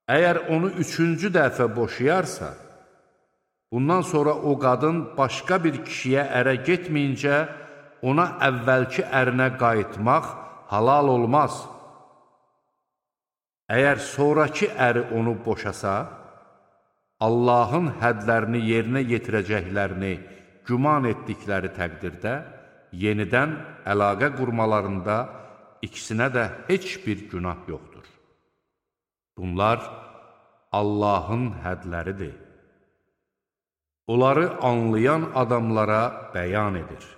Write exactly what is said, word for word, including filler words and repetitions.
Əgər onu üçüncü dəfə boşayarsa, bundan sonra o qadın başqa bir kişiyə ərə getməyincə ona əvvəlki ərinə qayıtmaq halal olmaz. Əgər sonraki əri onu boşasa, Allahın hədlərini yerinə yetirəcəklərini güman etdikləri təqdirdə yenidən əlaqə qurmalarında ikisinə də heç bir günah yoxdur. Bunlar Allahın hədləridir. Onları anlayan adamlara bəyan edir.